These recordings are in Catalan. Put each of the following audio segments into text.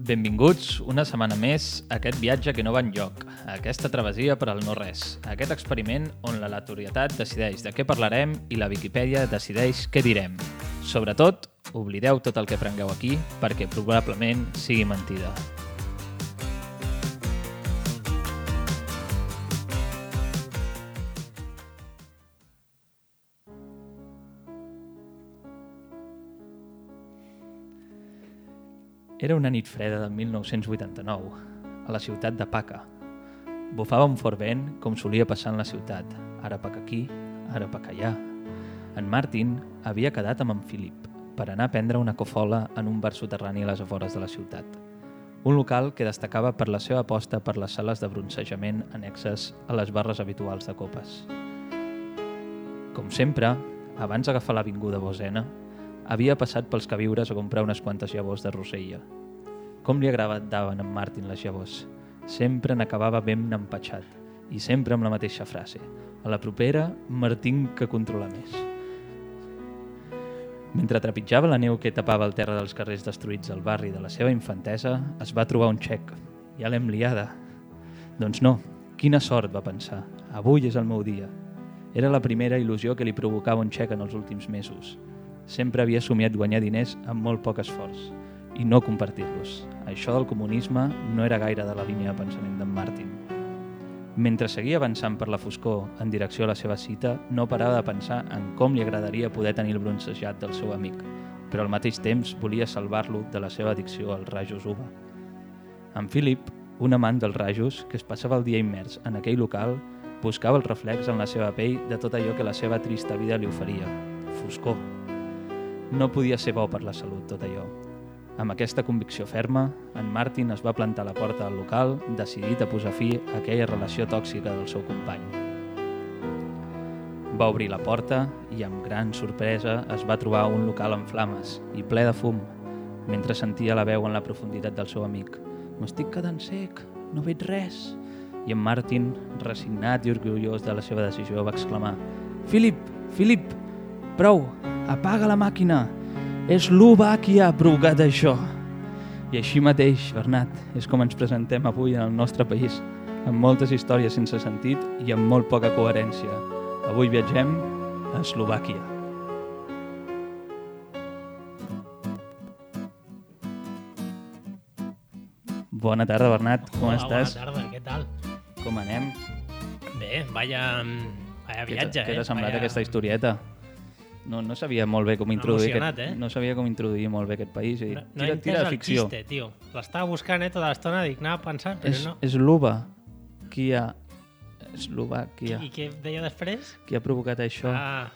Benvinguts una setmana més a aquest viatge que no va enlloc, a aquesta travessia per al no-res, a aquest experiment on l'aleatorietat decideix de què parlarem i la Viquipèdia decideix què direm. Sobretot, oblideu tot el que aprengueu aquí perquè probablement sigui mentida. Era una nit freda de 1989, a la ciutat de Paca. Bufava un fort vent, com solia passar en la ciutat, ara Paca aquí, ara Paca allà. En Martin havia quedat amb en Philip per anar a prendre una cofola en un bar soterrani a les afores de la ciutat. Un local que destacava per la seva aposta per les sales de bronzejament annexes a les barres habituals de copes. Com sempre, abans d'agafar l'avinguda Bosena, havia passat pels queviures a comprar unes quantes llavors de rosella. Com li agradaven a en Martin les llavors. Sempre n'acabava ben empatxat i sempre amb la mateixa frase. A la propera, me'n tinc que controlar més. Mentre trepitjava la neu que tapava el terra dels carrers destruïts del barri de la seva infantesa, es va trobar un xec. Ja l'hem liada. Doncs no, quina sort, va pensar. Avui és el meu dia. Era la primera il·lusió que li provocava un xec en els últims mesos. Sempre havia somiat guanyar diners amb molt poc esforç i no compartir-los. Això del comunisme no era gaire de la línia de pensament d'en Martin. Mentre seguia avançant per la foscor en direcció a la seva cita, no parava de pensar en com li agradaria poder tenir el bronzejat del seu amic, però al mateix temps volia salvar-lo de la seva addicció als rajos UVA. En Philip, un amant dels rajos que es passava el dia immers en aquell local, buscava el reflex en la seva pell de tot allò que la seva trista vida li oferia. Foscor. No podia ser bo per la salut, tot allò. Amb aquesta convicció ferma, en Martin es va plantar a la porta del local, decidit a posar fi a aquella relació tòxica del seu company. Va obrir la porta i, amb gran sorpresa, es va trobar un local en flames i ple de fum, mentre sentia la veu en la profunditat del seu amic. «M'estic quedant sec, no veig res!» I en Martin, resignat i orgullós de la seva decisió, va exclamar «Philip! Philip! Prou! Apaga la màquina! És l'UVA qui ha provocat això!» I així mateix, Bernat, és com ens presentem avui en el nostre país, amb moltes històries sense sentit i amb molt poca coherència. Avui viatgem a Eslovàquia. Bona tarda, Bernat, com estàs? Bona tarda, què tal? Com anem? Bé, vaya viatge, Què t'ha semblat aquesta historieta? No sabia molt bé com introduir emocionat, no sabia com introduir molt bé aquest país. No he entès el xiste, tio. L'estava buscant tota l'estona, dic, anava pensant, però no. És l'UVA qui ha... Eslovàquia. I què deia després? Qui ha provocat això? Ah,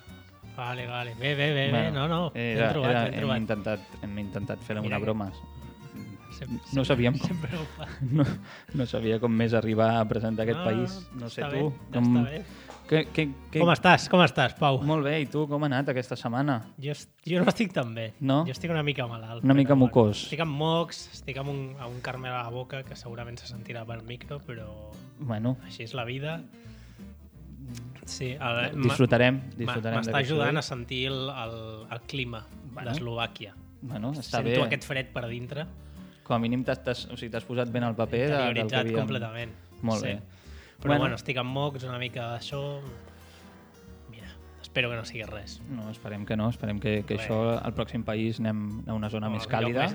vale. Bé, Bueno, no. Ben trobat. Hem intentat fer-li una broma. No sabíem com... Sempre ho fa. No sabia com més arribar a presentar aquest país. No sé tu. Està bé. Com estàs, Pau? Molt bé, i tu com ha anat aquesta setmana? Jo no estic tan bé. No? Jo estic una mica malalt. Una mica mocós. Estic amb mocs, estic amb un carmel a la boca que segurament se sentirà pel micro, però bueno, així és la vida. Sí, disfrutarem m'està ajudant a sentir el clima d'Eslovàquia. Bueno, està Sento bé. aquest fred per dintre. Com a mínim t'has posat ben al paper del que Interioritzat havíem... completament. Molt bé. Però bueno, estic amb mocs, una mica d'això... Mira, espero que no sigui res. No, esperem que no. Esperem que això, al pròxim país, anem a una zona més càlida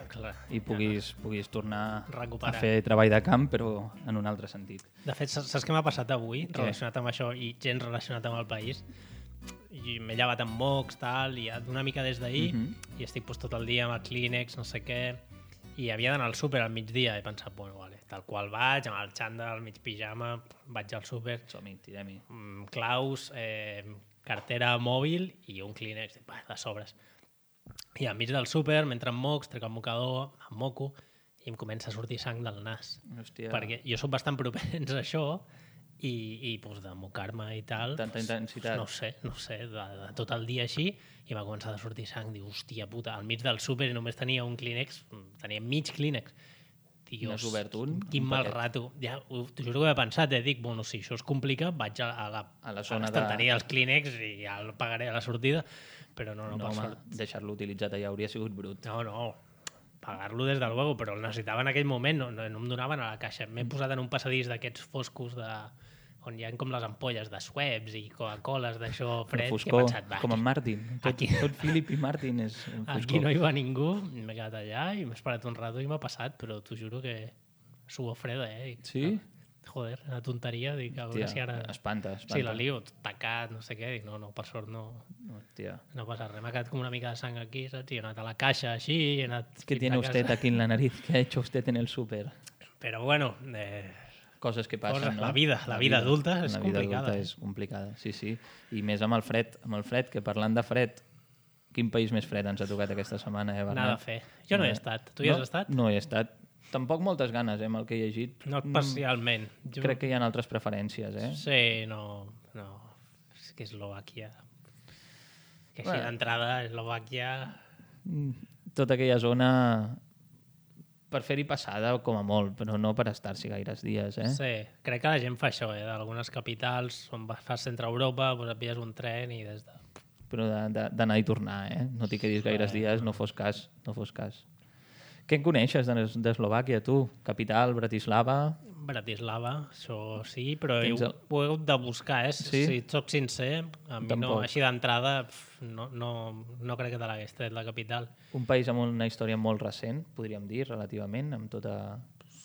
i puguis tornar a fer treball de camp, però en un altre sentit. De fet, saps què m'ha passat avui relacionat amb això i gens relacionat amb el país? I m'he llevat amb mocs, tal, i una mica des d'ahir, i estic tot el dia amb el Kleenex, no sé què, i havia d'anar al súper al migdia. He pensat, bueno, vale, tal qual vaig, amb el xandall, al mig pijama, vaig al súper. Som-hi, tirem-hi. Claus, cartera mòbil i un Kleenex de sobres. I al mig del súper, mentre em mocs, trec el mocador, em moco, i em comença a sortir sang del nas. Hòstia. Perquè jo soc bastant propens a això, i pues, de mocar-me i tal... Tanta intensitat. No sé, de tot el dia així, i m'ha començat a sortir sang. Diu, hòstia puta, al mig del súper només tenia un Kleenex, tenia mig Kleenex. Dios, n'has obert un? Quin mal rato. Ja, t'ho juro que ho he pensat, dic, bueno, si això es complica, vaig a la zona l'estanteria dels Kleenex i ja el pagaré a la sortida, però no per sort. Deixar-lo utilitzat allà hauria sigut brut. No, pagar-lo des del luego, però el necessitava en aquell moment, no em donaven a la caixa. M'he posat en un passadís d'aquests foscos on hi ha com les ampolles de Schweppes i Coca-Coles d'això fred, que he pensat, com en Martin. Tot Philip i Martin és un foscor. Aquí no hi va ningú, m'he quedat allà i m'he esperat un rato i m'ha passat, però t'ho juro que suor freda, Sí? Joder, una tonteria, dic, a veure si ara... Espanta. Sí, la lio, tacat, no sé què, dic, no, per sort no... Hòstia. No passa res, m'ha quedat com una mica de sang aquí, saps? I he anat a la caixa així, he anat... ¿Qué tiene usted aquí en la nariz? ¿Qué ha hecho usted en el súper? Però bueno... Coses que passen, no? La vida adulta és complicada. La vida adulta és complicada, sí. I més amb el fred, que parlant de fred, quin país més fred ens ha tocat aquesta setmana, Bernat? Nada a fer. Jo no he estat. Tu hi has estat? No he estat. Tampoc moltes ganes, amb el que he llegit. No especialment. Crec que hi ha altres preferències, Sí, no. És que Eslovàquia... Que així d'entrada, Eslovàquia... Tota aquella zona per fer-hi passada com a molt, però no per estar-s'hi gaires dies, Sí, crec que la gent fa això, d'algunes capitals on fas centre Europa, doncs et pilles un tren i des de... Però d'anar i tornar, no t'hi quedis gaires dies, no fos cas. Què en coneixes d'Eslovàquia, tu? Capital, Bratislava? Bratislava, això sí, però ho he hagut de buscar, Sí? Si et soc sincer, a mi no, així d'entrada no crec que te l'hagués tret la capital. Un país amb una història molt recent, podríem dir, relativament, amb tota...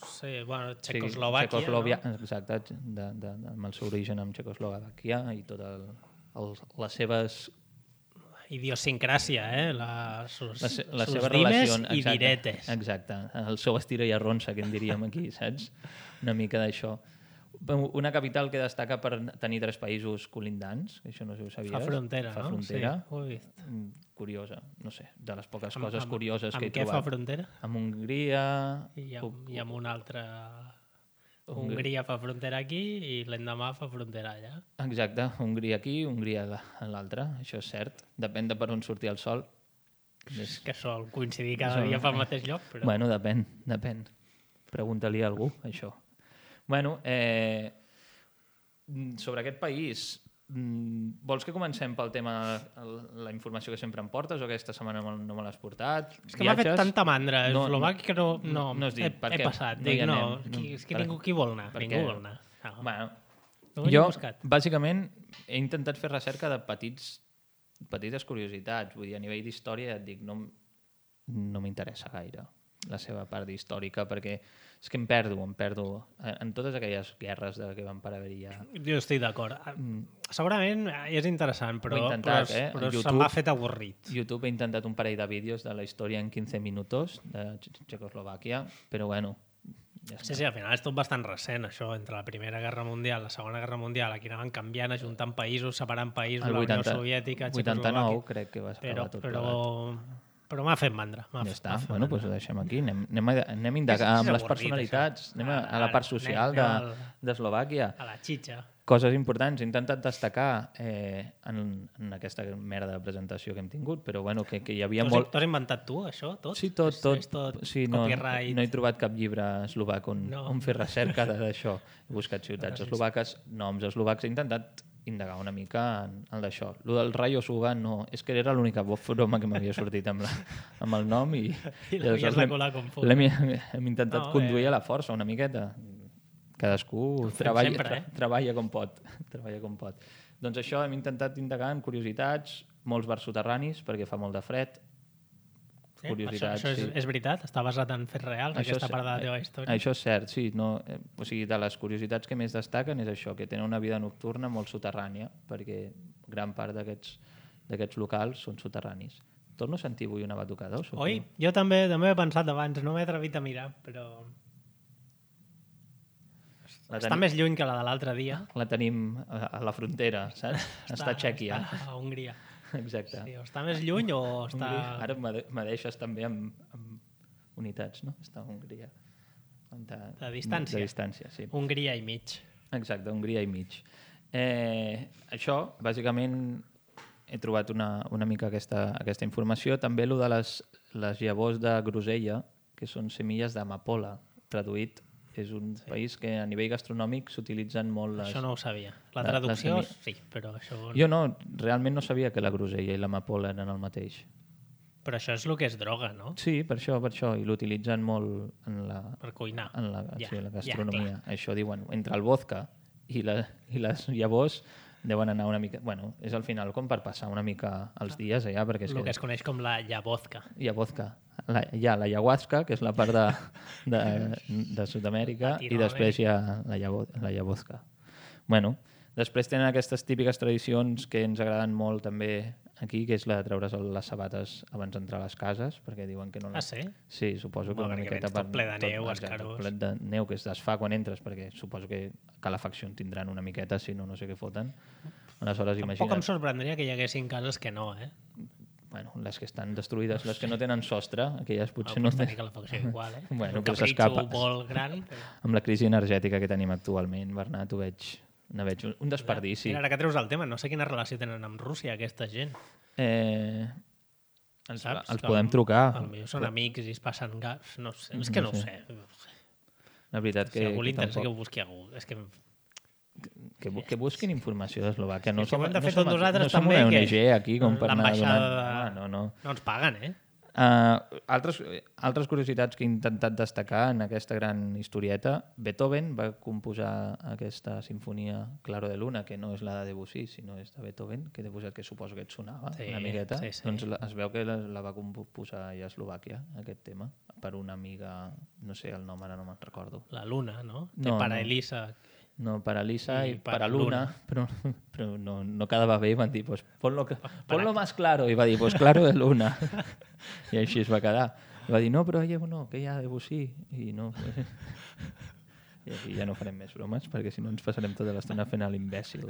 Sí, bueno, Txecoslovàquia, no? Exacte, amb el seu origen amb Txecoslovàquia i totes les seves... Idiosincràsia, les seves dimes relacions i diretes. Exacte, el seu estira i arronsa, que en diríem aquí, saps? Una mica d'això. Una capital que destaca per tenir 3 països colindants, això no sé si ho sabies. Fa frontera, no? Fa frontera. Sí, ho he vist. Curiosa, no sé, de les poques coses curioses que he trobat. Amb què fa frontera? Amb Hongria... I amb una altra... Hongria fa frontera aquí i l'endemà fa frontera allà. Exacte, Hongria aquí, Hongria a l'altra, això és cert. Depèn de per on surti el sol. És que sol coincidir cada dia fa el mateix lloc, però... Bueno, depèn. Pregunta-li a algú, això. Bueno, sobre aquest país, vols que comencem pel tema la informació que sempre em portes o aquesta setmana no me l'has portat? És que m'ha fet tanta mandra Eslovàquia que no has dit, he passat. Dic, és que qui vol anar? Ningú vol anar. Bueno, jo, bàsicament, he intentat fer recerca de petites curiositats. Vull dir, a nivell d'història, et dic, no m'interessa gaire la seva part històrica, perquè és que em perdo en totes aquelles guerres que van per haver-hi ja. Jo estic d'acord. Segurament és interessant, però YouTube, se m'ha fet avorrit. YouTube ha intentat un parell de vídeos de la història en 15 minuts de Txecoslovàquia, però bueno, ja està. Sí, al final és tot bastant recent, això, entre la Primera Guerra Mundial, la Segona Guerra Mundial, aquí anaven canviant, ajuntant països, separant països, la Unió Soviètica, Txecoslovàquia... 89 crec que va acabar tot plegat. Però m'ha fet mandra. Ja està, bueno, doncs ho deixem aquí. Anem a indagar amb les personalitats, anem a la part social d'Eslovàquia. A la xitxa. Coses importants. He intentat destacar en aquesta merda de presentació que hem tingut, però bueno, que hi havia molt... T'ho has inventat tu, això, tot? Sí, tot. Sí, no he trobat cap llibre eslovac on fer recerca d'això. He buscat ciutats eslovaques, noms eslovacs, he intentat indagar una mica en d'això. El del Rayo Suga no... És que era l'única broma que m'havia sortit amb el nom i l'havies de colar com fos. Hem intentat conduir a la força una miqueta. Cadascú treballa com pot. Doncs això, hem intentat indagar en curiositats, molts bars soterranis, perquè fa molt de fred. Això és veritat? Està basat en fets reals, aquesta part de la teva història? Això és cert, sí. O sigui, de les curiositats que més destaquen és això, que tenen una vida nocturna molt soterrània, perquè gran part d'aquests locals són soterranis. Torno a sentir avui una batucada? Oi? Jo també he pensat abans, no m'he atrevit a mirar, però... Està més lluny que la de l'altre dia. La tenim a la frontera, saps? Està a Txèquia. A Hongria. Exacte. Sí, està més lluny o està... Ara me deixes també amb unitats, no? Està a Hongria. De distància. De distància, sí. Hongria i mig. Exacte, Hongria i mig. Això, bàsicament, he trobat una mica aquesta informació. També el de les llavors de grosella, que són semilles d'amapola, traduït. És un país que a nivell gastronòmic s'utilitzen molt les... Això no ho sabia. La traducció sí, però això... Jo no, realment no sabia que la grosella i l'amapola eren el mateix. Però això és el que és droga, no? Sí, per això, i l'utilitzen molt Per cuinar. en la gastronomia. clar. Això diuen, entre el vodka i les llavors deuen anar una mica... Bueno, és al final com per passar una mica els dies allà, perquè és El que es coneix com la llavodka. vodka. Hi ha la ayahuasca, que és la part de Sud-amèrica, i després hi ha la llavodka. Bueno, després tenen aquestes típiques tradicions que ens agraden molt també aquí, que és la de treure's les sabates abans d'entrar a les cases, perquè diuen que no... Ah, sí? Sí, suposo que Home, una perquè miqueta... vens tot ple de neu, escarós. Ple de neu que es desfà quan entres, perquè suposo que calefacció en tindran una miqueta, si no, no sé què foten. Aleshores, Tampoc imagina't... em sorprendria que hi haguessin cases que no, eh? Bueno, les que estan destruïdes, les que no tenen sostre, aquelles potser no... Pots tenir calefacció igual, eh? Bueno, un però capritxo s'escapa. molt gran. Però... Amb la crisi energètica que tenim actualment, Bernat, ho veig un desperdici. Mira, ara que treus el tema, no sé quina relació tenen amb Rússia, aquesta gent. Els podem trucar. Potser són amics i es passen gas. No sé, és que no ho sé. La veritat que... Si a algú li interessa tampoc... que ho busqui algú. És que... Que busquin informació d'Eslovàquia. No que ho hem de fer som tots nosaltres no som també, una que ONG aquí com per anar donant... l'ambaixada No. No ens paguen, eh? Altres curiositats que he intentat destacar en aquesta gran historieta. Beethoven va composar aquesta sinfonia Claro de Luna, que no és la de Debussy, sinó és de Beethoven, que que suposo que et sonava una miqueta. Sí. Doncs es veu que la va composar a Eslovàquia, aquest tema, per una amiga, no sé el nom, ara no me'n recordo. La Luna, no? No, Para no. Elisa. No, para Lisa I i para para Luna, però no quedava bé i van dir, pues, ponlo más claro, i va dir, pues claro de Luna. I així es va quedar. I va dir, no, però no, que hi ha Debussy. I no... I aquí ja no farem més bromes, perquè si no ens passarem tota l'estona fent l'imbècil.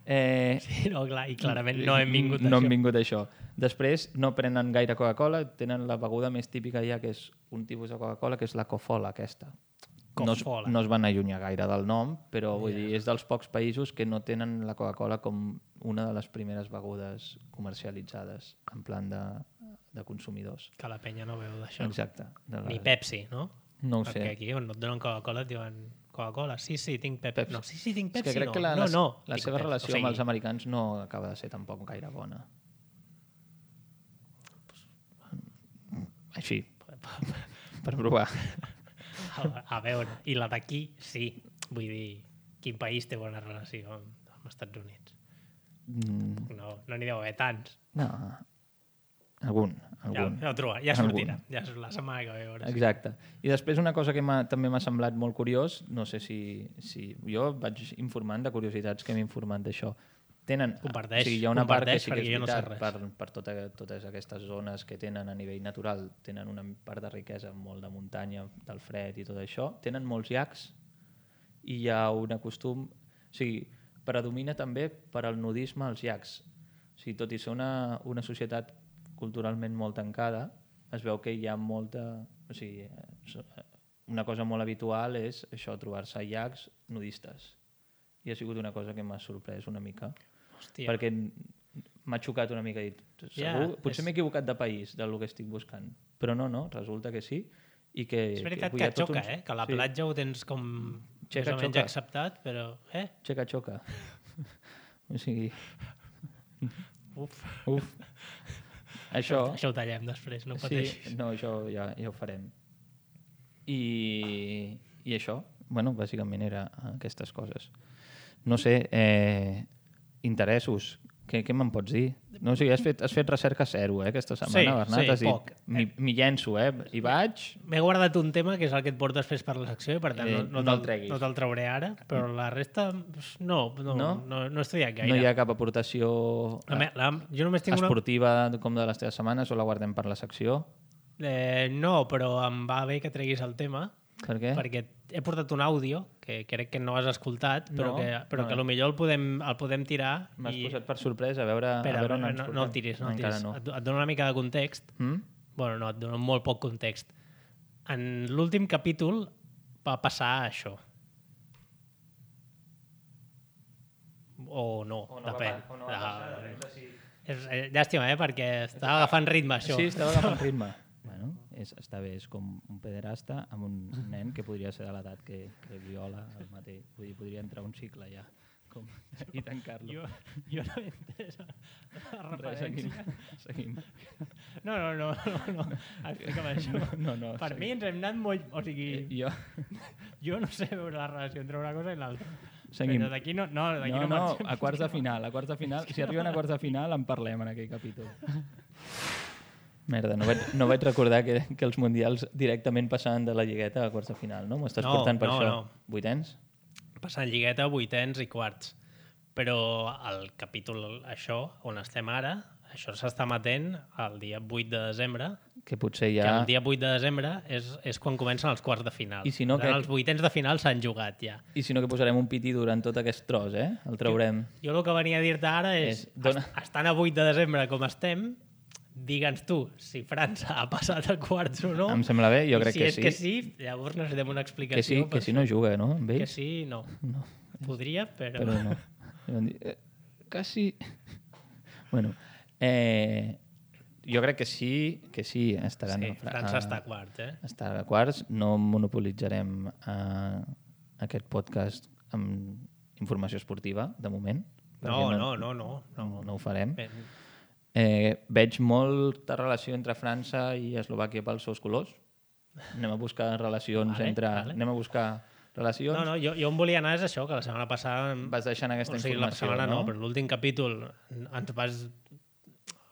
Sí, no, clar, i clarament no hem vingut a no això. hem vingut a això. Després no prenen gaire Coca-Cola, tenen la beguda més típica ja, que és un tipus de Coca-Cola, que és la Cofola, aquesta. Cofola. No es van allunyar gaire del nom, però vull dir, és dels pocs països que no tenen la Coca-Cola com una de les primeres begudes comercialitzades en plan de consumidors. Que la penya no veu d'això. Exacte. Ni Pepsi, no? No ho Perquè sé. aquí on no et donen Coca-Cola et diuen Coca-Cola, sí, tinc Pepsi. No, sí, tinc És Pepsi, que crec no. que la tinc seva Pepsi. relació amb els americans no acaba de ser tampoc gaire bona. Així, per provar. A veure, i la d'aquí, sí. Vull dir, quin país té bona relació amb els Estats Units? No n'hi deu haver tants. No, algun. Ja ho trobarà, ja sortirà. Ja és la setmana que ve. A veure. Exacte. I després una cosa que també m'ha semblat molt curiós, no sé si jo vaig informant de curiositats que m'he informat d'això. Comparteix, hi ha una part que sí que és jo no sé veritat, res. per totes aquestes zones que tenen a nivell natural, tenen una part de riquesa molt de muntanya, del fred i tot això, tenen molts llacs i hi ha un costum, o sigui, predomina també per al nudisme als llacs. O sigui, tot i ser una societat culturalment molt tancada, es veu que hi ha molta... O sigui, una cosa molt habitual és això, trobar-se a llacs nudistes. I ha sigut una cosa que m'ha sorprès una mica. Hòstia. Perquè m'ha xocat una mica. Potser m'he equivocat de país del que estic buscant. Però no, resulta que sí. I que, és veritat que et xoca, que la platja ho tens com més o menys acceptat, però... Xoca. O sigui... Uf. Això ho tallem després, no pateixis. Sí, no, això ja ho farem. I això, bueno, bàsicament era aquestes coses. No sé, interessos, què me'n pots dir? No, o sigui, has fet recerca zero, aquesta setmana, Bernat. Sí, poc. M'hi llenço, i vaig... M'he guardat un tema, que és el que et portes després per la secció, i per tant no te'l trauré ara, però la resta no he estudiat gaire. No hi ha cap aportació jo només tinc esportiva com de les teves setmanes o la guardem per la secció? No, però em va bé que treguis el tema. Per què? Perquè he portat un àudio que crec que no has escoltat, però que potser el podem tirar. M'has posat per sorpresa, a veure on ens portem. No el tiris, no el tiris. No. Et dono una mica de context. Bueno, no, et dono molt poc context. En l'últim capítol va passar això. O no, depèn. Llàstima, perquè estava agafant ritme, això. Sí, estava agafant ritme. Bueno, està bé, és com un pederasta amb un nen que podria ser de l'edat que viola el mateix. Vull dir, podria entrar un cicle ja. i tancar-lo. Jo no he entès la referència. Seguim. No. Explica'm això. No, per mi ens hem anat molt... O sigui, jo no sé veure la relació entre una cosa i l'altra. Seguim. Però d'aquí no a quarts de final. Si arriben a quarts de final en parlem en aquell capítol. Merda, no vaig recordar que els mundials directament passaven de la lligueta a quarts de final, no? M'ho estàs portant per això? No. Vuitens? Passant lligueta, vuitens i quarts. Però el capítol això, on estem ara, això s'està emetent el dia 8 de desembre, que potser ja... Que el dia 8 de desembre és quan comencen els quarts de final. I si no, els vuitens de final s'han jugat ja. I si no, que posarem un piti durant tot aquest tros, El traurem. Jo el que venia a dir-te ara és estant a 8 de desembre com estem, digue'ns tu si França ha passat a quarts o no. Em sembla bé, jo crec que sí. Si és que sí, llavors necessitem una explicació. Que sí no juga, no? Amb ells? Que sí, no. Podria, però no. Quasi... Bueno, jo crec que sí estaran... Sí, França està a quarts, Està a quarts, no monopolitzarem aquest podcast amb informació esportiva, de moment. No. No ho farem. Veig molta relació entre França i Eslovàquia pels seus colors. Anem a buscar relacions Anem a buscar relacions. No, jo em volia anar és això, que la setmana passada... Vas deixant aquesta informació, la setmana no, però l'últim capítol ens vas...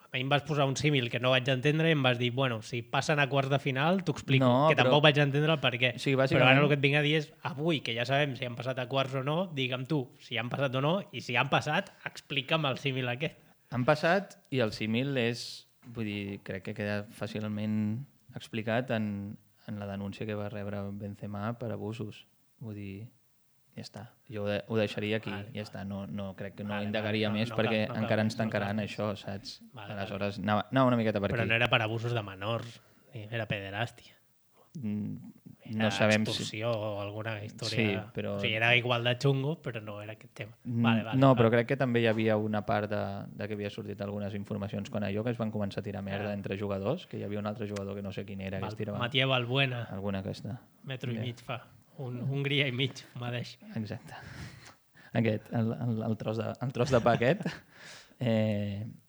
A mi em vas posar un símil que no vaig entendre i em vas dir, bueno, si passen a quarts de final, t'ho explico, tampoc vaig entendre el per què. Sí, però ara el que et vinc a dir és, avui, que ja sabem si han passat a quarts o no, digue'm tu si han passat o no, i si han passat, explica'm el símil aquest. Han passat i el símil és, vull dir, crec que queda fàcilment explicat en la denúncia que va rebre Benzema per abusos. Vull dir, ja està. Jo ho deixaria aquí, ja està. No crec que no indagaria més perquè encara ens tancaran això, saps? Aleshores, anava una miqueta per aquí. Però no era per abusos de menors, era pederàstia. No sabem extorsió o alguna història... Sí, però... O sigui, era igual de xungo, però no era aquest tema. Vale, però crec que també hi havia una part de que havia sortit algunes informacions quan allò que es van començar a tirar merda entre jugadors, que hi havia un altre jugador que no sé quin era, que es tirava... Matías Balbuena. Alguna aquesta. Metro i mig fa. Hongria i mig, m'adeix. Exacte. Aquest, el tros de pa aquest.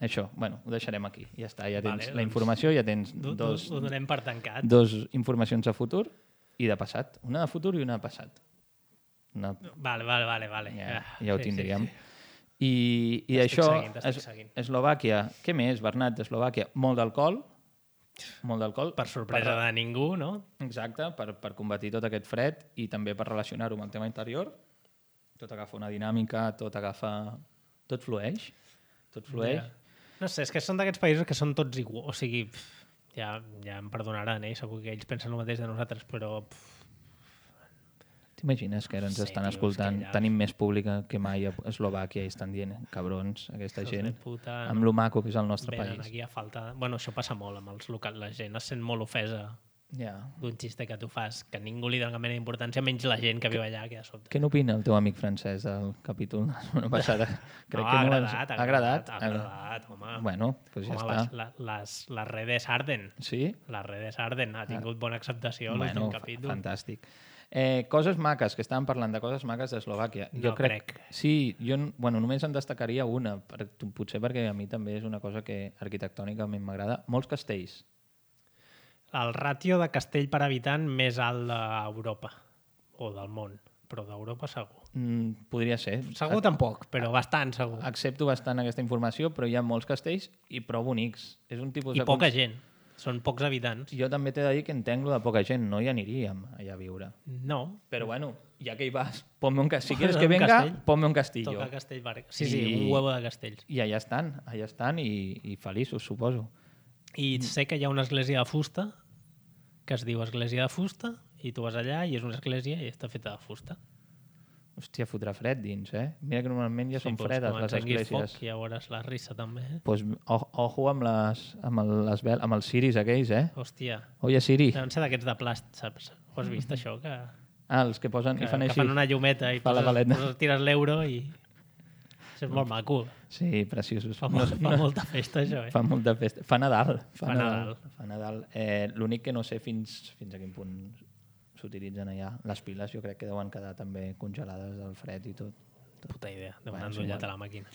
Això, bueno, ho deixarem aquí. Ja està, ja tens la informació, ja tens ho donem per tancat. Dos informacions de futur i de passat. Una de futur i una de passat. Vale. Ja ho tindríem. I això, Eslovàquia, què més, Bernat, d'Eslovàquia? Molt d'alcohol. Per sorpresa de ningú, no? Exacte, per combatir tot aquest fred i també per relacionar-ho amb el tema interior. Tot agafa una dinàmica, tot flueix. No sé, és que són d'aquests països que són tots iguals. O sigui, ja em perdonaran, segur que ells pensen el mateix de nosaltres, però... T'imagines que ara ens estan escoltant? Tenim més públic que mai a Eslovàquia i estan dient, cabrons, aquesta gent, amb lo maco que és el nostre país. Aquí a falta... Bueno, això passa molt amb els locals. La gent es sent molt ofesa d'un xiste que tu fas, que ningú li dona cap mena d'importància, menys la gent que viu allà, que de sobte. Què n'opina el teu amic francès del capítol de la setmana passada? Ha agradat, home. Bueno, doncs ja està. Les redes arden. Sí? Les redes arden. Ha tingut bona acceptació l'últim capítol. Fantàstic. Coses maques, que estàvem parlant de coses maques d'Eslovàquia. No crec. Sí, jo només en destacaria una, potser perquè a mi també és una cosa que arquitectònicament m'agrada. Molts castells. El ràtio de castell per habitant més alt d'Europa, o del món, però d'Europa segur. Podria ser. Segur tampoc, però bastant segur. Accepto bastant aquesta informació, però hi ha molts castells i prou bonics. És un tipus I poca gent. Són pocs habitants. Jo també t'he de dir que entenc lo de poca gent, no hi aniríem allà a viure. No. Però bueno, ja que hi vas, ponme un castell. Si quieres que venga, ponme un castillo. Toca castell. Sí, un huevo de castells. I allà estan i feliços, suposo. I sé que hi ha una església de fusta que es diu església de fusta i tu vas allà i és una església i està feta de fusta. Hòstia, fotrà fred dins, Mira que normalment ja són fredes les esglésies. Foc, ja veuràs la rissa també, Pues ojo amb els ciris aquells, Hòstia. Oye, Siri. Deuen ser d'aquests de plast, saps? Ho has vist, això? Els que posen i fan així. Que fan una llumeta i tires l'euro i... És molt maco. Sí, preciosos. Fa molta festa, això, Fa molta festa. Fa Nadal. Fa Nadal. L'únic que no sé fins a quin punt s'utilitzen allà. Les piles jo crec que deuen quedar també congelades del fred i tot. Puta idea, de donar ullat a la màquina.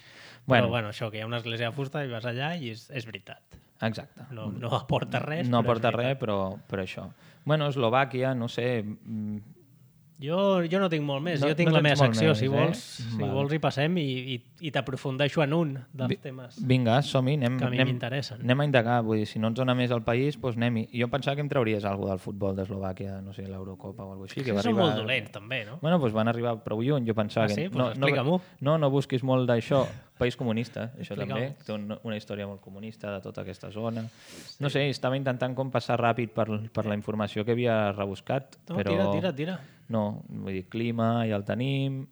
Bueno. Però bueno, això, que hi ha una església de fusta i vas allà i és veritat. Exacte. No aporta res, no però aporta és veritat. res, però això. Bueno, Eslovàquia, no sé... Jo no tinc molt més. No- Jo tinc no la tens meva molt secció, més, si vols. Si Vale. vols hi passem i t'aprofundeixo en un dels temes Vinga, som-hi, anem, que a mi anem, m'interessen. anem a indagar. Vull dir, si no ens dona més al país, doncs anem-hi. Jo pensava que em trauries alguna del futbol d'Eslovàquia, no sé, l'Eurocopa o alguna cosa així. Que va Són arribar... molt dolents, també, no? Bueno, doncs van arribar prou lluny, jo pensava Ah, sí? que... Pues explica-m'ho. No busquis molt d'això. País comunista, això Explica-m'ho. també. Té una història molt comunista de tota aquesta zona. No sé, estava intentant com passar ràpid per la informació que havia rebuscat, No, però... tira. No, vull dir, clima ja el tenim,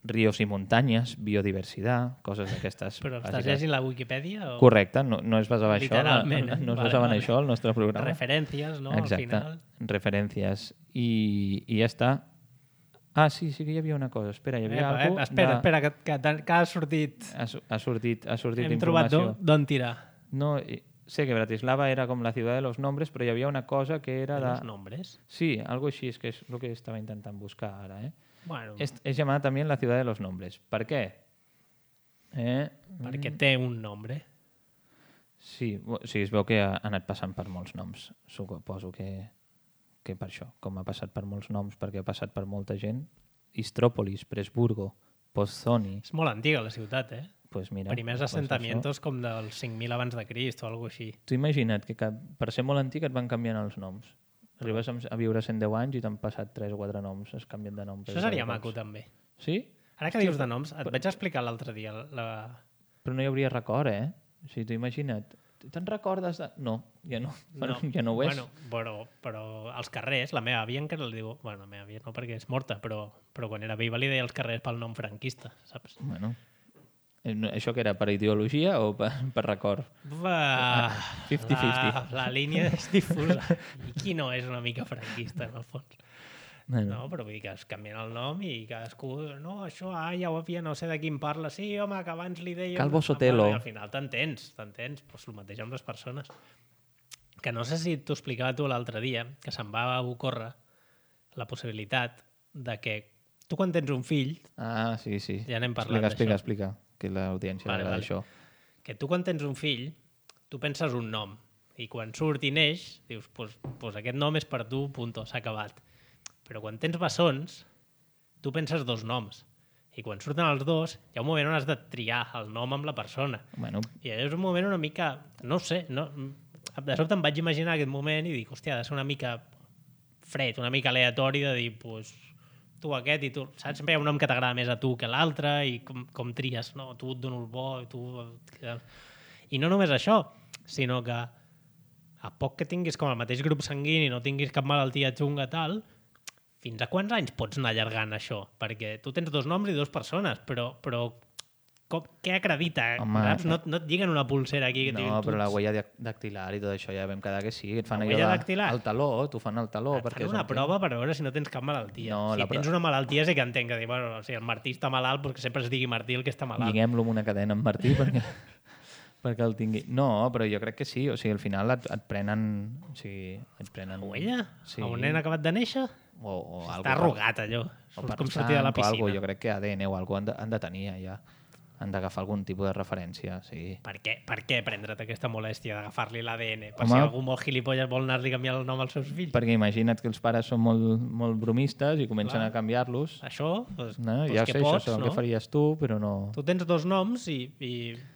ríos i muntanyes, biodiversitat, coses d'aquestes. Però estàs bàsiques. llegint la Wikipedia? O... Correcte, no es basava això, Literalment, no es vale, basava vale. en això el nostre programa. Referències, no? Exacte, Al final. referències. I ja està. Ah, sí que hi havia una cosa. Espera, hi havia alguna cosa... Espera, que ha sortit... Ha sortit Hem trobat informació. d'on tirar. No, sé que Bratislava era com la ciutat de los nombres, però hi havia una cosa que era de... Els nombres? Sí, algo així, és que és el que estava intentant buscar ara, Bueno, Es llamada también la ciudad de los nombres. Per què? perquè té un nombre. Sí, o sigui, es veu que ha anat passant per molts noms. Suposo que per això, com ha passat per molts noms, perquè ha passat per molta gent. Istrópolis, Presburgo, Pozzoni... És molt antiga la ciutat, Pues mira, Primers pues assentamientos com dels 5.000 abans de Crist o alguna així. Tu imagina't que per ser molt antic et van canviant els noms. Arribes a viure 110 anys i t'han passat 3 o 4 noms, es canvien de nom. Això seria maco, també. Sí? Ara que dius de noms, et vaig explicar l'altre dia. Però no hi hauria record, O sigui, tu imagina't. Te'n recordes de... No, ja no. Bueno, ja no ho és. Però als carrers, la meva àvia encara li diu... Bueno, la meva àvia no, perquè és morta, però quan era viva li deia als carrers pel nom franquista, saps? Bueno, això que era per ideologia o per record? 50-50. La línia és difusa. I qui no és una mica franquista, en el fons? Bueno. No, però vull dir que es canvien el nom i cadascú... No, això, ja ho havia, no sé de quin parla. Sí, home, que abans li deia... Calvo Sotelo. I al final t'entens. Doncs el mateix amb les persones. Que no sé si t'ho explicava tu l'altre dia, que se'm va ocórrer la possibilitat de que tu quan tens un fill... Ah, sí. Ja n'hem parlat Explica, que l'audiència Vale. això. Que tu quan tens un fill, tu penses un nom i quan surt i neix, dius, pues aquest nom és per tu, punto, s'ha acabat. Però quan tens bessons, tu penses 2 noms. I quan surten els 2, hi ha un moment on has de triar el nom amb la persona. Bueno, I és un moment una mica... No ho sé, de sobte em vaig imaginar aquest moment i dic, hòstia, ha de ser una mica fred, una mica aleatori de dir, pues, tu aquest i tu... Saps? Sempre hi ha un nom que t'agrada més a tu que l'altre i com tries, no? Tu et dono el bo i tu... I no només això, sinó que a poc que tinguis com el mateix grup sanguini, no tinguis cap malaltia xunga tal, fins a quants anys pots anar allargant això? Perquè tu tens 2 noms i 2 persones, però què acredita? Home, saps? No et lliguen una pulsera aquí. Que no, però la huella dactilar i tot això ja vam quedar que sí. Et fan La allò huella dactilar? el taló, t'ho fan el taló. Et perquè fan una prova per veure si no tens cap malaltia. No, si tens una malaltia sí que entenc que dir, bueno, si el Martí està malalt, doncs que sempre es digui Martí el que està malalt. Lliguem-lo amb una cadena amb Martí perquè el tingui. No, però jo crec que sí. O sigui, al final et prenen... O sigui, et prenen... La huella? Sí. A un nen acabat de néixer? O Està arrugat, allò. O per Com sortir de la sang o piscina. alguna, jo crec que ADN o alguna han de tenir ja. Han d'agafar algun tipus de referència, sí. Per què prendre't aquesta molèstia d'agafar-li l'ADN? Per Home, si algú molt gilipolles vol anar-li a canviar el nom als seus fills? Perquè imagina't que els pares són molt bromistes i comencen Clar. a canviar-los. Això, doncs, No? doncs Ja que sé, pots, això és el no? que faries tu, però no... Tu tens 2 noms i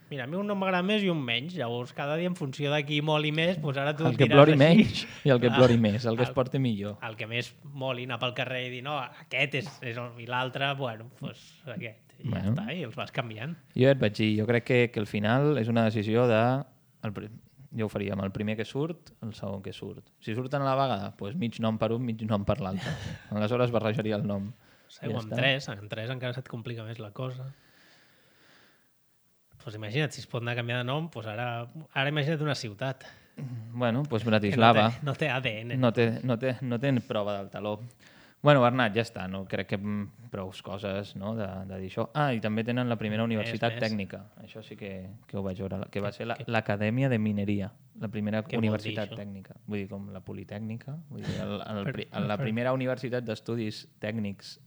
mira, a mi un nom m'agrada més i un menys. Llavors, cada dia en funció de qui moli més, doncs ara tu El que diràs plori així. menys i el que Clar. plori més, el que es porti millor. El que més moli anar pel carrer i dir, no, aquest és i l'altre, bueno, doncs aquest. I ja Bueno. està, i els vas canviant. Jo ja et vaig dir, jo crec que al final és una decisió de... Jo ho faria amb el primer que surt, el segon que surt. Si surten a la vegada, doncs mig nom per un, mig nom per l'altre. Aleshores barrejaria el nom. Seu, Ja amb està. 3 encara se't complica més la cosa. Doncs imagina't, si es pot anar a canviar de nom, doncs ara imagina't una ciutat. Bueno, doncs Que Bratislava. no té ADN. No té prova del taló. Bueno, Bernat, ja està. No? Crec que prou coses no? de dir això. Ah, i també tenen la primera universitat més. tècnica. Això sí que ho vaig veure. Que va ser l'Acadèmia de Mineria. La primera Què vol universitat dir, això? tècnica. Vull dir, com la Politècnica. Vull dir, la Per- primera universitat d'estudis tècnics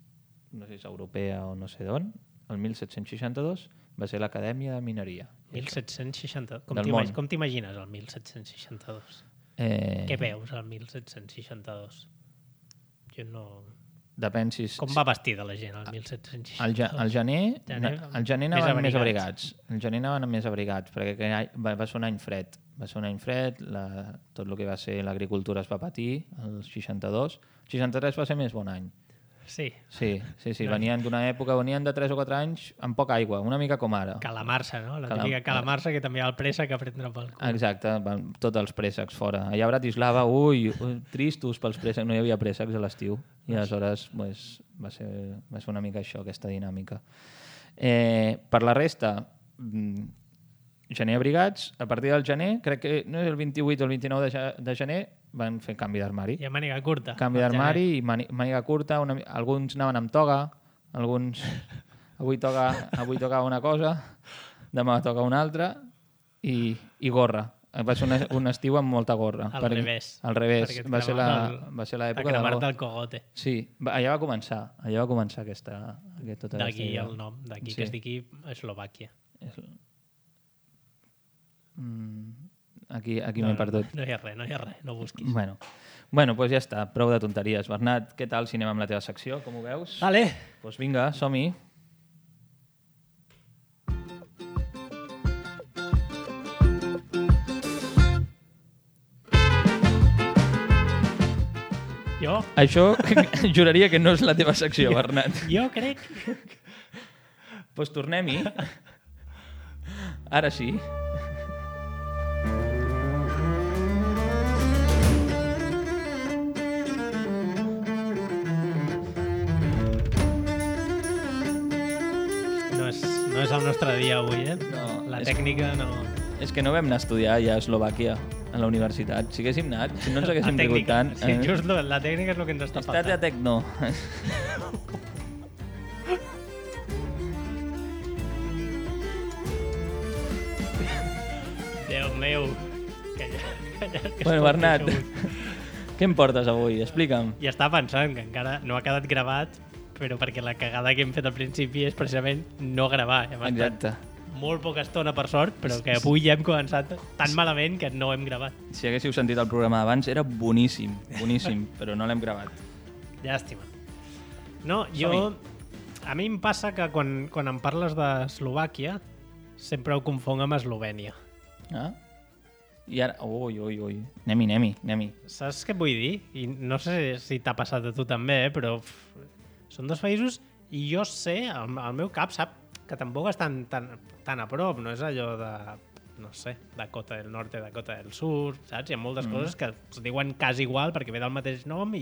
no sé si és europea o no sé d'on, el 1762 va ser l'Acadèmia de Mineria. 1760. Del món. Com t'imagines el 1762? Què veus al 1762? Jo no... Depèn si... Com va vestida la gent al 1762? Al gener anaven més abrigats. El gener anaven més abrigats, perquè aquell any va ser un any fred. Va ser un any fred, tot el que va ser l'agricultura es va patir, el 62. El 63 va ser més bon any. Sí. Sí. Venien d'una època, venien de 3 o 4 anys amb poca aigua, una mica com ara. Calamarsa, no? La típica calamarsa que també hi ha el préssec a prendre pel cul. Exacte, van tots els préssecs fora. Allà a Bratislava, tristos pels préssecs, no hi havia préssecs a l'estiu. I aleshores va ser una mica això, aquesta dinàmica. Per la resta, gener abrigats, a partir del gener, crec que no és el 28 o el 29 de gener, van fer canvi d'armari. I a màniga curta. Canvi d'armari i màniga curta. Alguns anaven amb toga, alguns... Avui toca una cosa, demà toca una altra, i gorra. Va ser un estiu amb molta gorra. Al revés. Al revés. Va ser l'època de... cremar-te el cogote. Sí, allà va començar tota d'aquí el nom, d'aquí que es digui Eslovàquia. Aquí m'he perdut. No hi ha res, no busquis. Bueno, doncs ja està, prou de tonteries. Bernat, què tal si anem amb la teva secció, com ho veus? Vale. Doncs vinga, som-hi. Jo? Això juraria que no és la teva secció, Bernat. Jo crec... Doncs tornem-hi. Ara sí. No és el nostre dia avui, eh? No, la tècnica no... És que no vam anar a estudiar ja a Eslovàquia, a la universitat. Si haguéssim anat, si no ens haguéssim rigut tant... Sí, just la tècnica és el que ens està faltant. Estat a tecno. Déu meu. Bueno, Bernat, què em portes avui? Explica'm. I estava pensant que encara no ha quedat gravat, però perquè la cagada que hem fet al principi és precisament no gravar. Exacte. Molt poca estona, per sort, però que avui ja hem començat tan malament que no hem gravat. Si haguéssiu sentit el programa d'abans, era boníssim, però no l'hem gravat. Llàstima. No, a mi em passa que quan em parles d'Eslovàquia sempre ho confonc amb Eslovènia. Ah? I ara... Ui. Anem-hi. Saps què vull dir? I no sé si t'ha passat a tu també, però són dos països i jo sé, el meu cap sap que tampoc estan tan a prop, no és allò de, no sé, Dakota del Norte, Dakota del Sur, saps? Hi ha moltes coses que es diuen quasi igual perquè ve del mateix nom,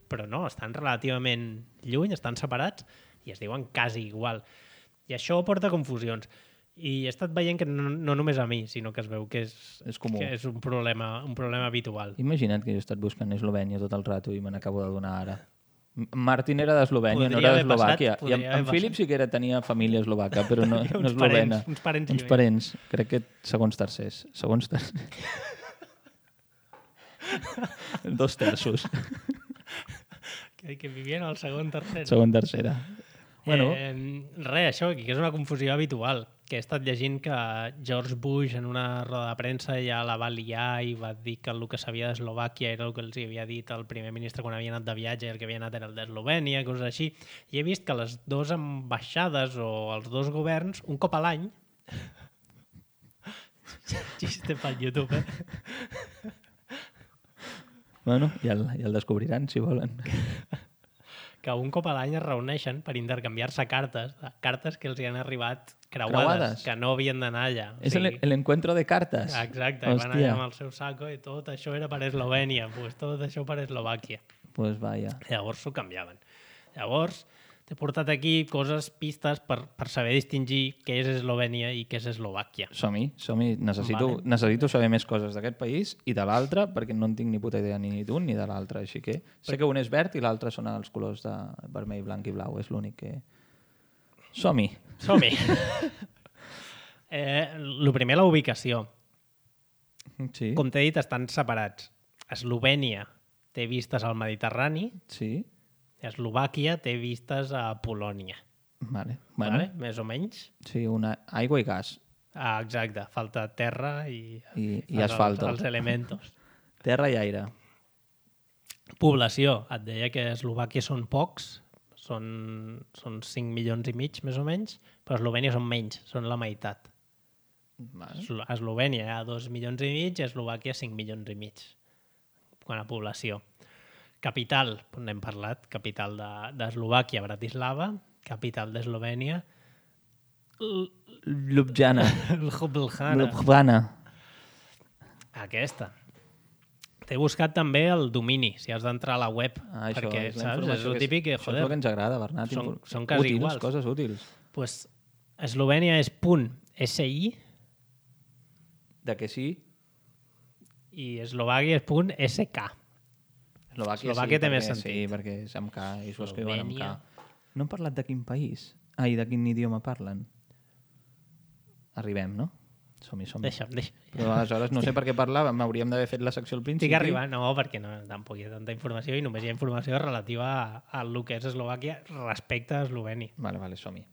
però no, estan relativament lluny, estan separats i es diuen quasi igual. I això porta confusions. I he estat veient que no només a mi, sinó que es veu que és comú. Que és un problema habitual. Imagina't que jo he estat buscant Eslovènia tot el rato i me n'acabo de donar ara. Martin era d'Eslovènia, no era d'Eslovàquia. I en Philip sí que tenia família eslovaca, però no eslovena. Uns parents. Uns parents. Crec que segons tercers. 2 terços. Que vivien al segon tercera. Segon tercera. Bueno. Això, que és una confusió habitual, que he estat llegint que George Bush en una roda de premsa ja la va liar i va dir que el que sabia d'Eslovàquia era el que els havia dit el primer ministre quan havia anat de viatge i el que havia anat era el d'Eslovènia, coses així. I he vist que les dues ambaixades o els dos governs, un cop a l'any... Xiste pel YouTube, Bueno, ja el descobriran, si volen. Que un cop a l'any es reuneixen per intercanviar-se cartes que els hi han arribat creuades, que no havien d'anar allà. És l'encuentro de cartes. Exacte, i van allà amb el seu saco i tot això era per Eslovènia, pues tot això per Eslovàquia. Pues vaya. Llavors s'ho canviaven. Llavors t'he portat aquí pistes per saber distingir què és Eslovènia i què és Eslovàquia. Som-hi. Necessito saber més coses d'aquest país i de l'altre, perquè no en tinc ni puta idea ni d'un ni de l'altre. Així que sé que un és verd i l'altre són els colors de vermell, blanc i blau. És l'únic que... Som-hi. El primer, la ubicació. Sí. Com t'he dit, estan separats. Eslovènia té vistes al Mediterrani. Sí. Eslovàquia té vistes a Polònia. Vale. Vale? Més o menys. Sí, aigua i gas. Exacte, falta terra i asfalto. Els elementos. Terra i aire. Població. Et deia que a Eslovàquia són pocs, són 5 milions i mig, més o menys, però a Eslovènia són menys, són la meitat. Vale. A Eslovènia hi ha 2 milions i mig i a Eslovàquia 5 milions i mig, quant a població. Capital, n'hem parlat, capital d'Eslovàquia, Bratislava, capital d'Eslovènia, Ljubljana. Ljubljana. Aquesta. T'he buscat també el domini, si has d'entrar a la web, perquè, saps, és el típic que, joder, això és el que ens agrada, Bernat. Són quasi iguals. Coses útils. Pues Eslovènia és .si de què sí? I Eslovàquia és .sk. Eslovàquia té més sentit. Sí, perquè és amb K i s'ho escriuen amb K. No hem parlat de quin país? I de quin idioma parlen? Arribem, no? Som-hi. Deixa'm. Però aleshores no sé per què parlàvem, hauríem d'haver fet la secció al principi. Estic arribant, no, perquè tampoc hi ha tanta informació i només hi ha informació relativa a el que és Eslovàquia respecte a Eslovènia. Vale, som-hi.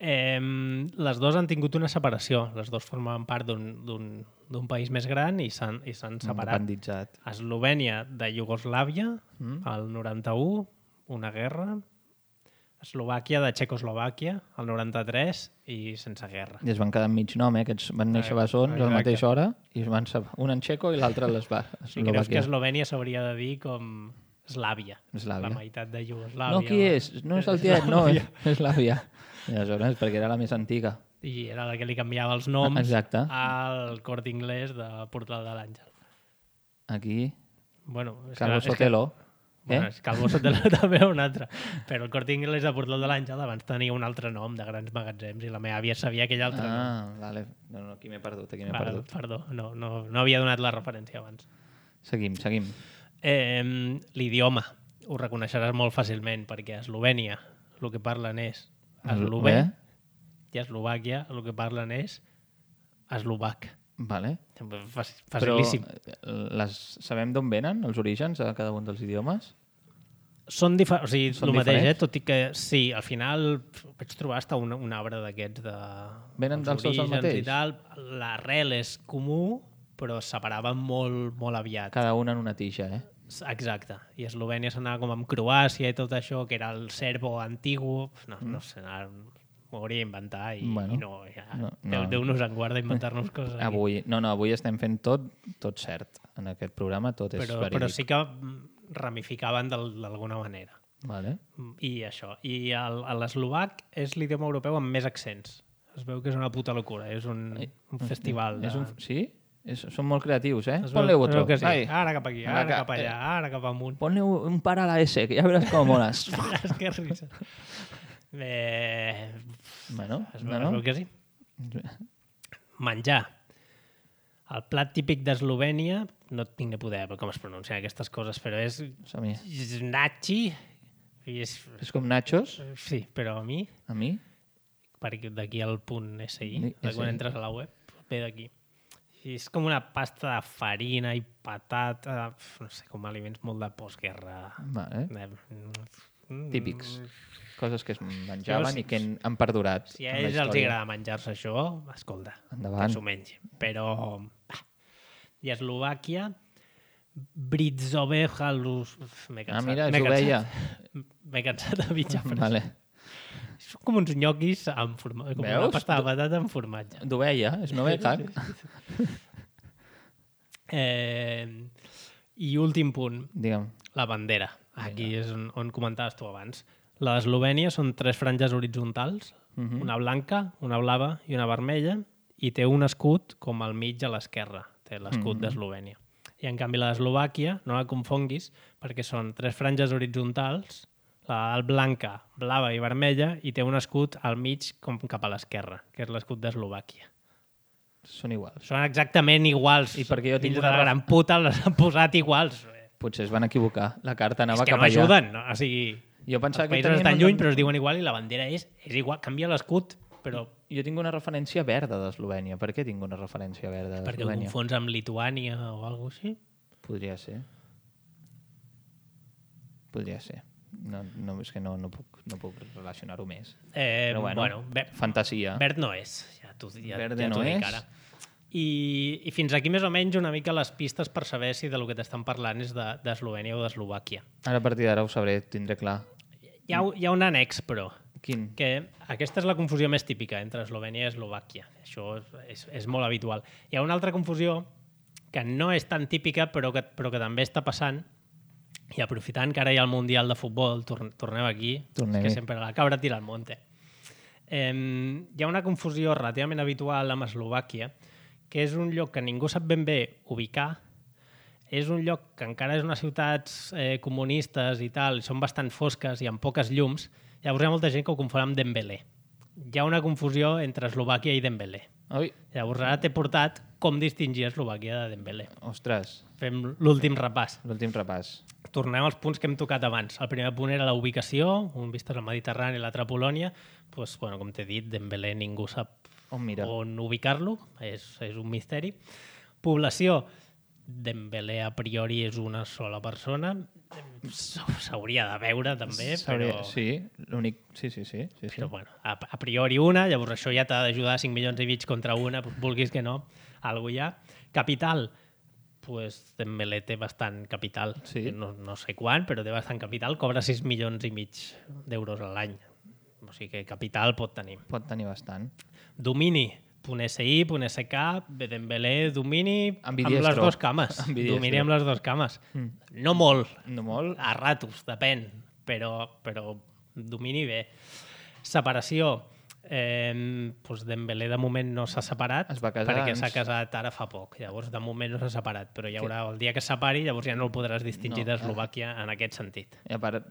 Les dues han tingut una separació. Les dues formaven part d'un país més gran i s'han separat. Independitzat. Eslovènia de Iugoslàvia, al 91, una guerra. Eslovàquia de Txecoslovàquia, al 93, i sense guerra. I es van quedar enmig nom, Aquests van néixer bessons a la mateixa hora i es van un en txeco i l'altre a l'Eslovàquia. I creus que Eslovènia s'hauria de dir com Eslàvia. La meitat de Iugoslàvia. No, qui és? No és el tiet, no, és Eslàvia. I aleshores, perquè era la més antiga. I era la que li canviava els noms. Exacte. Al Corte Inglés de Portal de l'Àngel. Aquí, bueno, Calvo Sotelo. Bueno, Calvo Sotelo també era un altre. Però el Corte Inglés de Portal de l'Àngel abans tenia un altre nom de grans magatzems i la meva àvia sabia aquell altre nom. Vale. No, aquí m'he perdut. Perdó, no havia donat la referència abans. Seguim. L'idioma. Ho reconeixeràs molt fàcilment perquè a Eslovènia el que parlen és eslové i a Eslovàquia el que parlen és eslovac. Vale. Facilíssim. Però sabem d'on venen els orígens de cada un dels idiomes? Són el mateix, tot i que sí, al final vaig trobar hasta un arbre d'aquests de... Venen dels dos el mateix? L'arrel és comú, però es separaven molt, molt aviat. Cada una en una tija, Exacte. I Eslovènia s'anava com amb Croàcia i tot això, que era el serbo antigu. No sé, m'ho hauria d'inventar i no. Déu nos en guarda inventar-nos coses aquí. Avui estem fent tot cert. En aquest programa tot és verídic. Però sí que ramificaven d'alguna manera. Vale. I això. I l'eslovac és l'idioma europeu amb més accents. Es veu que és una puta locura. És un festival. Sí? Són molt creatius, Ponle otro. Que sí. Ara cap aquí, ara cap allà, ara cap amunt. Ponle un par a la S, que ja veuràs com moles. Que risa. Bueno, es veu que sí. Menjar. El plat típic d'Eslovènia, no tinc ni poder com es pronuncien aquestes coses, però és nachi. És com nachos? Sí, però a mi? A mi? Perquè d'aquí al punt SI, quan entres a la web, ve d'aquí. I és com una pasta de farina i patata, no sé, com aliments molt de postguerra. Típics. Coses que es menjaven i que han perdurat. Si a ells els agrada menjar-se això, escolta, que s'ho mengi. Però... I a Eslovàquia, Britzove Halus... M'he cansat. Mira, és ovella. M'he cansat de mitja frase. Vale. Són com uns nyoquis amb formatge, com una pasta de patata amb formatge. D'ovella, és noveja. I últim punt, digue'm. La bandera. Aquí és on comentaves tu abans. La d'Eslovènia són 3 franges horitzontals, una blanca, una blava i una vermella, i té un escut com al mig a l'esquerra. Té l'escut d'Eslovènia. I en canvi la d'Eslovàquia, no la confonguis, perquè són 3 franges horitzontals, la blanca, blava i vermella, i té un escut al mig com cap a l'esquerra, que és l'escut d'Eslovàquia. Són iguals. Són exactament iguals. I perquè jo tinc una gran puta les han posat iguals. Potser es van equivocar. La carta anava cap allà. És que no ajuden. No? O sigui, jo pensava els països estan lluny, però es diuen igual i la bandera és igual. Canvia l'escut, però... Jo tinc una referència verda d'Eslovènia. Per què tinc una referència verda d'Eslovènia? Perquè ho confons amb Lituània o alguna cosa així? Podria ser. podria ser. No, és que no puc relacionar-ho més. Però bueno, fantasia. Verd no és, ja t'ho no dic és. ara. I fins aquí més o menys una mica les pistes per saber si de lo que t'estan parlant és d'Eslovènia o d'Eslovàquia. Ara a partir d'ara ho sabré, tindré clar. Hi ha un annex, però. Quin? Que aquesta és la confusió més típica entre Eslovènia i Eslovàquia. Això és molt habitual. Hi ha una altra confusió que no és tan típica però que també està passant, i aprofitant que ara hi ha el Mundial de Futbol, tornem aquí, que sempre la cabra tira al monte. Hi ha una confusió relativament habitual amb Eslovàquia, que és un lloc que ningú sap ben bé ubicar, és un lloc que encara és unes ciutats comunistes i tal, són bastant fosques i amb poques llums, llavors hi ha molta gent que ho confon amb Dembélé. Hi ha una confusió entre Eslovàquia i Dembélé. Oi. Llavors ara t'he portat com distingir Eslovàquia de Dembélé. Ostres. Fem l'últim repàs. Tornem als punts que hem tocat abans. El primer punt era la ubicació, un vistes al Mediterrani i l'altre a Polònia. Pues, bueno, com t'he dit, Dembélé ningú sap on ubicar-lo, és un misteri. Població, Dembélé a priori és una sola persona, s'hauria de veure també, però... Sí, l'únic... Sí. Però bueno, a priori una, llavors això ja t'ha d'ajudar 5 milions i mig contra una, vulguis que no, alguna hi ha. Capital, pues Dembélé té bastant capital, no sé quan, però té bastant capital, cobra 6 milions i mig d'euros a l'any. O sigui que capital pot tenir. Pot tenir bastant. Domini, .si, .sk, Dembélé, domini amb les dues cames. Domini amb les dues cames. No molt. No molt? A ratos, depèn. Però domini bé. Separació. Dembélé de moment no s'ha separat perquè s'ha casat ara fa poc. Llavors, de moment no s'ha separat. Però hi haurà el dia que es separi, llavors ja no el podràs distingir d'Eslovàquia en aquest sentit. I a part,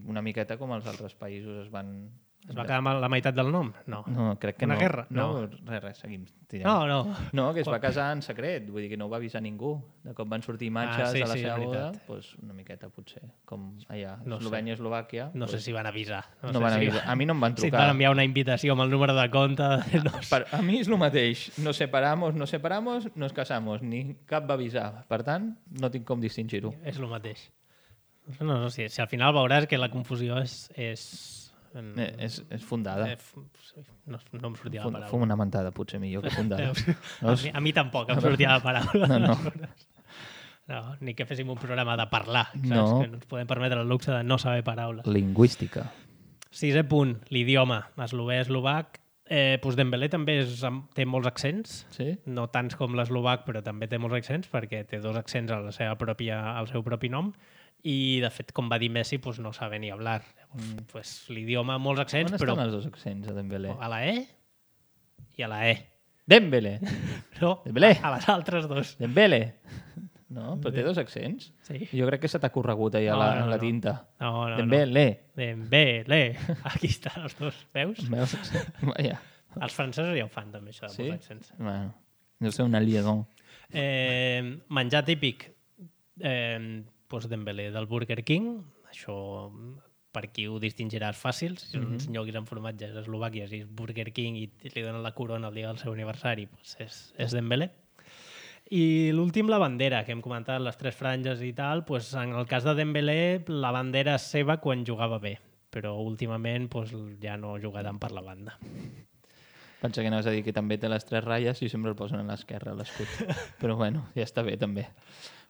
una miqueta com els altres països es va quedar amb la meitat del nom? No. No, crec que no. Una guerra? No. Res, seguim. No, que es va casar en secret, vull dir que no ho va avisar ningú. De cop van sortir imatges de la seva boda, doncs una miqueta potser, com allà, Eslovènia, Eslovàquia. No sé si van avisar. A mi no em van trucar. Si et van enviar una invitació amb el número de compte... A mi és el mateix. Nos separamos, nos casamos. Ni cap va avisar. Per tant, no tinc com distingir-ho. És el mateix. No, si al final veuràs que la confusió és fundada. No em sortia la paraula. Fum una mentada, potser millor que fundada. A mi tampoc em sortia la paraula. No, ni que féssim un programa de parlar. Que no ens podem permetre el luxe de no saber paraules. Lingüística. 6è punt, l'idioma. Eslové, eslovac. Dembélé també té molts accents. Sí? No tants com l'eslovac, però també té molts accents, perquè té 2 accents al seu propi nom. I, de fet, com va dir Messi, no sabe ni hablar. Llavors, l'idioma, molts accents, però... On estan els 2 accents, a Dembélé? A la E i a la E. Dembélé! No, Dembélé. A les altres 2. Dembélé! No, però té 2 accents? Sí. Jo crec que se t'ha corregut allà la tinta. No. Dembélé. Dembélé. Aquí estan els 2, veus? Vaja. Els francesos ja ho fan, també, això de molts accents. Bueno, deu ser una liaison. Menjar típic. Dembélé del Burger King, això per qui ho distingiràs fàcil, si són uns nyoquis amb formatges a Eslovàquia, si és Burger King i li donen la corona el dia del seu aniversari, és Dembélé. I l'últim, la bandera, que hem comentat, les 3 franges i tal, en el cas de Dembélé, la bandera és seva quan jugava bé, però últimament ja no juga tant per la banda. Pensa que anaves a dir que també té les 3 ratlles i sempre el posen a l'esquerra, l'escut. Però bueno, ja està bé també.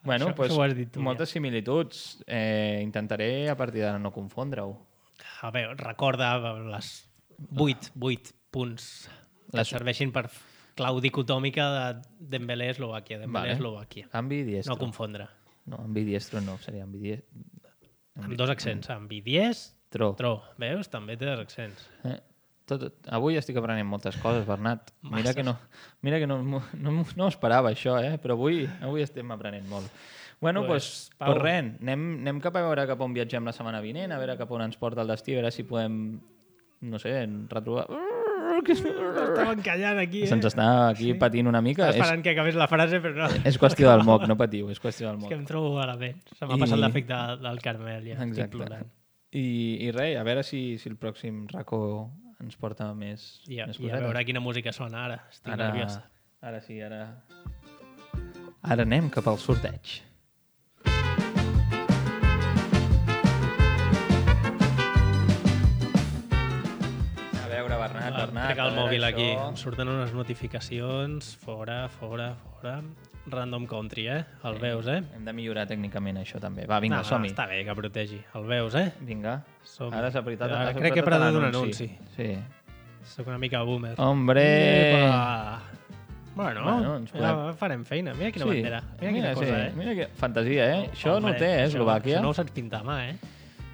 Bueno, això ho has dit tu, moltes similituds. Intentaré a partir d'ara no confondre-ho. A veure, recorda les 8 punts que serveixin per clau dicotòmica de Dembélé Eslovàquia. Dembélé Eslovàquia. Ambidiestro. No confondre. No, ambidiestro no, seria ambidiestro. Amb 2 accents, ambidiestro. Veus? També té 2 accents. Avui estic aprenent moltes coses, Bernat. Mira que no esperava això, però avui estem aprenent molt. Bueno, doncs res, anem cap a veure cap on viatgem la setmana vinent, a veure cap on ens porta el destí, a veure si podem, no sé, retrobar... Estava encallant aquí, Se'ns està aquí patint una mica. Estava esperant que acabés la frase, però no. És qüestió del moc, no patiu, és qüestió del moc. És que em trobo malament. Se m'ha passat l'efecte del Carmel, ja. Estic plorant. I res, a veure si el pròxim racó ens porta més cosetes. I a veure quina música sona ara. Estic nerviós. Ara sí, ara anem cap al sorteig. ficar el mòbil aquí. Em surten unes notificacions. Fora. Random country, El veus, Hem de millorar tècnicament això també. Va, vinga, som-hi. Està bé que protegi. El veus, Vinga. Som-hi. Ara s'ha apretat crec que he perdut un anunci. Sí. Soc una mica boomer. Hombre! Epa! Bueno, ens podem... farem feina. Mira quina bandera. Mira quina cosa, Mira que fantasia, Això no ho té, Eslovàquia. Això no ho saps pintar a mà,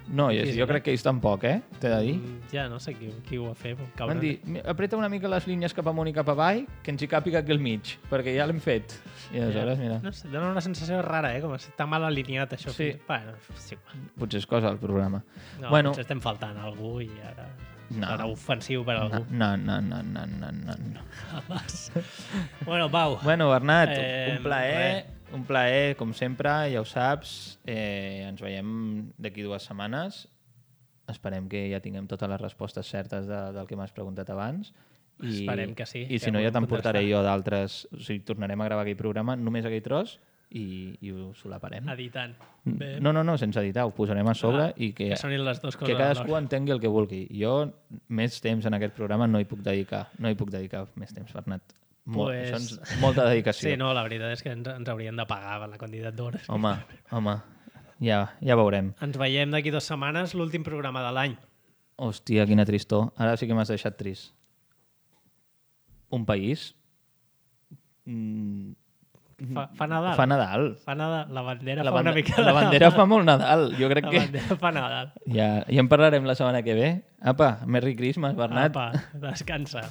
No, jo crec que ells tampoc, t'he de dir. Ja no sé qui ho va fer. Van dir, apreta una mica les línies cap amunt i cap avall, que ens hi càpiga aquí al mig, perquè ja l'hem fet. I aleshores, mira... No sé, dona una sensació rara, com si està mal alineat això. Sí. Bueno, sí. Potser és cosa del programa. No, potser estem faltant a algú i ara... Serà ofensiu per a algú. No. Bueno, Pau. Bueno, Bernat, un plaer, com sempre, ja ho saps. Ens veiem d'aquí 2 setmanes. Esperem que ja tinguem totes les respostes certes del que m'has preguntat abans. Esperem que sí. I si no, ja t'emportaré jo d'altres... O sigui, tornarem a gravar aquell programa, només aquell tros, i ho solaparem. Editant. No, sense editar, ho posarem a sobre i que sonin les dues coses. Que cadascú entengui el que vulgui. Jo més temps en aquest programa no hi puc dedicar. No hi puc dedicar més temps, Bernat. Això és molta dedicació. Sí, no, la veritat és que ens haurien de pagar per la quantitat d'hores. Home, ja veurem. Ens veiem d'aquí 2 setmanes, l'últim programa de l'any. Hòstia, quina tristor. Ara sí que m'has deixat trist. Un país... Fa Nadal. Fa Nadal. La bandera fa una mica... La bandera fa molt Nadal. Jo crec que... La bandera fa Nadal. Ja en parlarem la setmana que ve. Apa, Merry Christmas, Bernat. Apa, descansa.